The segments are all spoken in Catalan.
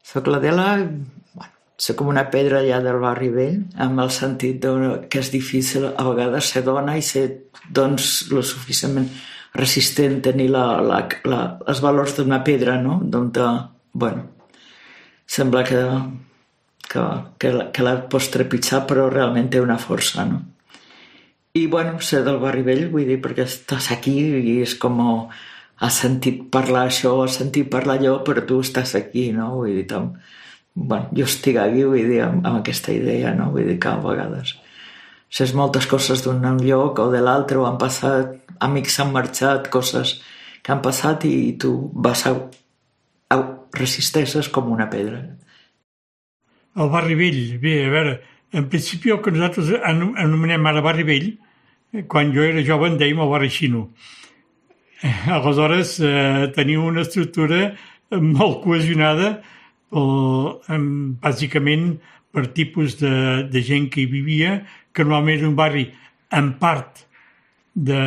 Soc l'Adela, bueno, soc com una pedra allà del barri vell, amb el sentit que és difícil a vegades ser dona i ser, doncs, lo suficientment resistent, tenir els valors d'una pedra, no? Bueno, sembla que la pots trepitjar, però realment té una força, no? I, bueno, ser del barri vell, vull dir, perquè estàs aquí i és com... Has sentit parlar això, has sentit parlar allò, però tu estàs aquí, no? Vull dir, bueno, jo estic aquí, vull dir, amb aquesta idea, no? Vull dir que a vegades saps moltes coses d'un lloc o de l'altre, o han passat, amics han marxat, coses que han passat i tu resisteixes com una pedra. El barri vell, bé, a veure, en principi el que nosaltres anomenem ara barri vell, quan jo era jove en dèiem el barri xino. Aleshores, teniu una estructura molt cohesionada, bàsicament per tipus de gent que hi vivia, que normalment era un barri, a part de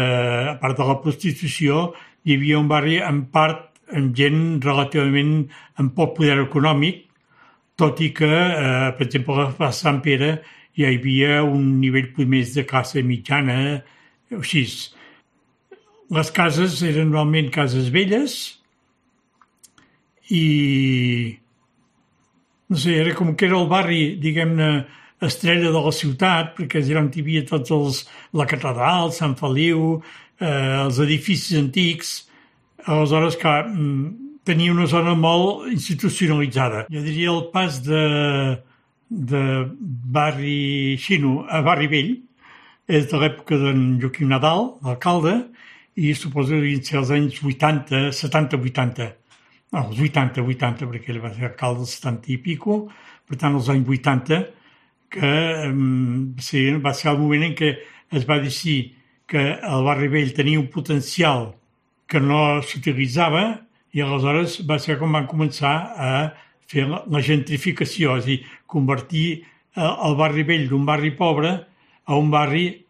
la prostitució, hi havia un barri en part amb gent relativament amb poc poder econòmic, tot i que, per exemple, a Sant Pere hi havia un nivell més de classe mitjana, o així. Les cases eren normalment cases velles i, no sé, era com que era el barri, diguem-ne, estrella de la ciutat, perquè era on hi havia tots la catedral, Sant Feliu, els edificis antics. Aleshores, clar, tenia una zona molt institucionalitzada. Jo diria el pas de barri xino a barri vell és de l'època d'en Joaquim Nadal, l'alcalde, i suposo que devien ser els anys 80, 70-80. Els 80, perquè ell va ser alcalde dels 70 i pico, per tant, els anys 80, que va ser el moment en què es va decidir que el barri vell tenia un potencial que no s'utilitzava i aleshores va ser com van començar a fer la gentrificació, és a dir, convertir el barri vell d'un barri pobre a un barri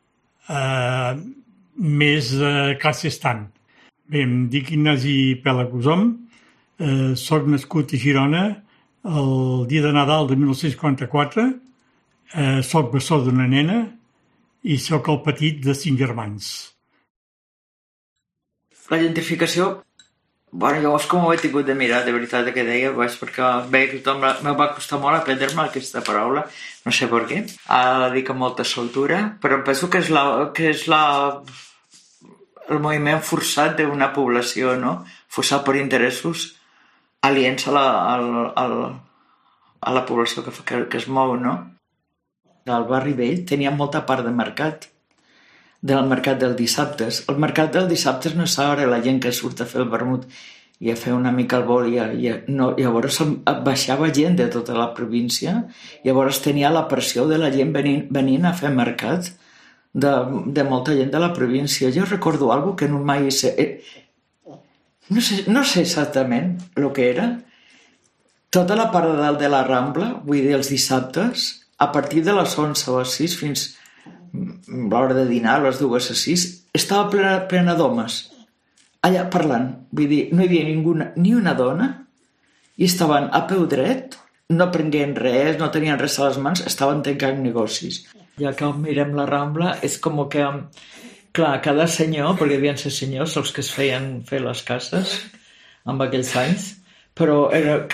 més classe estant. Bé, em dic Ignasi Pelaguzom, soc nascut a Girona el dia de Nadal de 1944, soc bessó d'una nena i soc el petit de 5 germans. La gentrificació, bueno, llavors com ho he tingut de mirar, de veritat, que deia, perquè bé, tothom me va costar molt aprendre-me aquesta paraula, no sé per què, dic amb molta soltura, però penso que és el moviment forçat d'una població, no? Forçat per interessos aliens a la població que es mou, no? El barri vell tenia molta part de mercat, del mercat dels dissabtes. El mercat dels dissabtes no és ara la gent que surt a fer el vermut i a fer una mica el vol, no, llavors baixava gent de tota la província, llavors tenia la pressió de la gent venint a fer mercat, de molta gent de la província. Jo recordo alguna que no mai sé... No sé exactament el que era. Tota la part de dalt de la Rambla, vull dir, els dissabtes, a partir de les 11 o les 6 fins a l'hora de dinar, a les 2 a 6, estava plena d'homes allà parlant. Vull dir, no hi havia ni una dona i estaven a peu dret, no prenguent res, no tenien res a les mans, estaven tancant negocis. Ja que mirem la Rambla, és com que, clar, cada senyor, perquè devien ser senyors els que es feien fer les cases en aquells anys, però era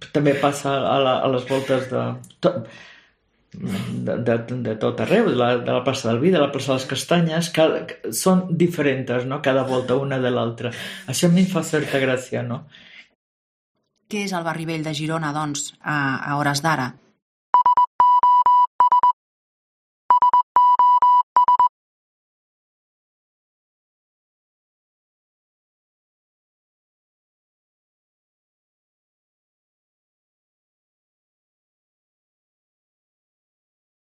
també passa a les voltes de tot arreu, de la plaça del Vi, de la plaça de les Castanyes, són diferents, no? Cada volta una de l'altra. Això a mi em fa certa gràcia, no? Què és el barri vell de Girona, doncs, a hores d'ara?